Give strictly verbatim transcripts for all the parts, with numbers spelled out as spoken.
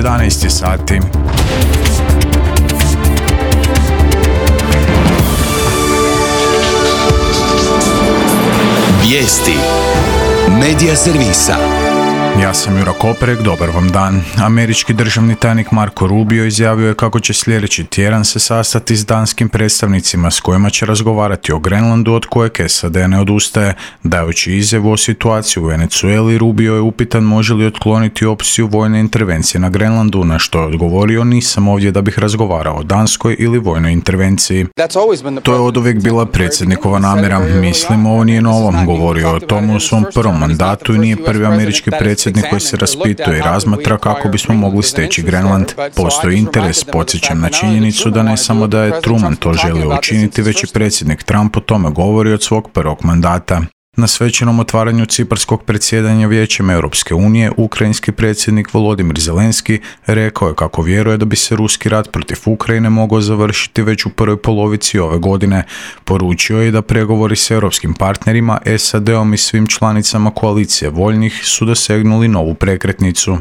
jedanaest sati. Vijesti Medija servisa. Ja sam Jura Koperek, dobar vam dan. Američki državni tajnik Marko Rubio izjavio je kako će sljedeći tjedan se sastati s danskim predstavnicima s kojima će razgovarati o Grenlandu od kojeg S A D ne odustaje. Dajući izjavu o situaciji u Venezueli, Rubio je upitan može li otkloniti opciju vojne intervencije na Grenlandu, na što je odgovorio nisam ovdje da bih razgovarao o danskoj ili vojnoj intervenciji. To je oduvijek bila predsjednikova namjera. Mislim, ovo nije novo. Govorio o tomu u svom prvom mandatu i nije prvi američki predsjednik koji se raspituje i razmatra kako bismo mogli steći Grenland. Postoji interes, podsjećam na činjenicu da ne samo da je Truman to želio učiniti, već i predsjednik Trump o tome govori od svog prvog mandata. Na svečanom otvaranju ciparskog predsjedanja Vijećem Europske unije, ukrajinski predsjednik Volodimir Zelenski rekao je kako vjeruje da bi se ruski rat protiv Ukrajine mogao završiti već u prvoj polovici ove godine. Poručio je da pregovori s europskim partnerima, S A D-om i svim članicama koalicije voljnih su dosegnuli novu prekretnicu.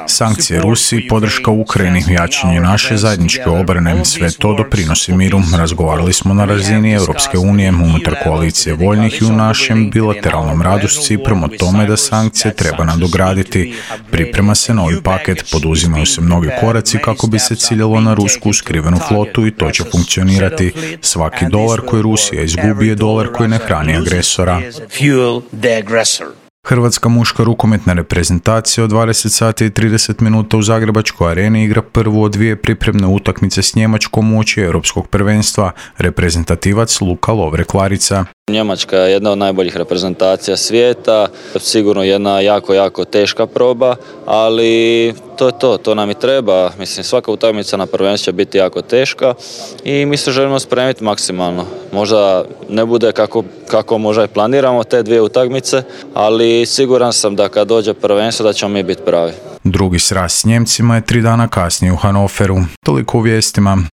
Sankcije Rusiji, podrška Ukrajini, jačanje naše zajedničke obrane, sve to doprinosi miru. Razgovarali smo na razini Europske unije, unutar koalicije voljnih i u našem bilateralnom radu s Ciprom o tome da sankcije treba nadograditi. Priprema se novi paket, poduzimaju se mnogi koraci kako bi se ciljalo na rusku skrivenu flotu i to će funkcionirati. Svaki dolar koji Rusija izgubi je dolar koji ne hrani agresora. Hrvatska muška rukometna reprezentacija od dvadeset sati i trideset minuta u Zagrebačkoj areni igra prvu od dvije pripremne utakmice s Njemačkom uoči europskog prvenstva. Reprezentativac Luka Lovre-Klarica. Njemačka je jedna od najboljih reprezentacija svijeta, sigurno jedna jako, jako teška proba, ali to je to, to nam i treba. Mislim, svaka utakmica na prvenstvu će biti jako teška i mi se želimo spremiti maksimalno. Možda ne bude kako, kako možda i planiramo te dvije utakmice, ali siguran sam da kad dođe prvenstvo da ćemo mi biti pravi. Drugi sraz s Njemcima je tri dana kasnije u Hanoveru. Toliko u vijestima.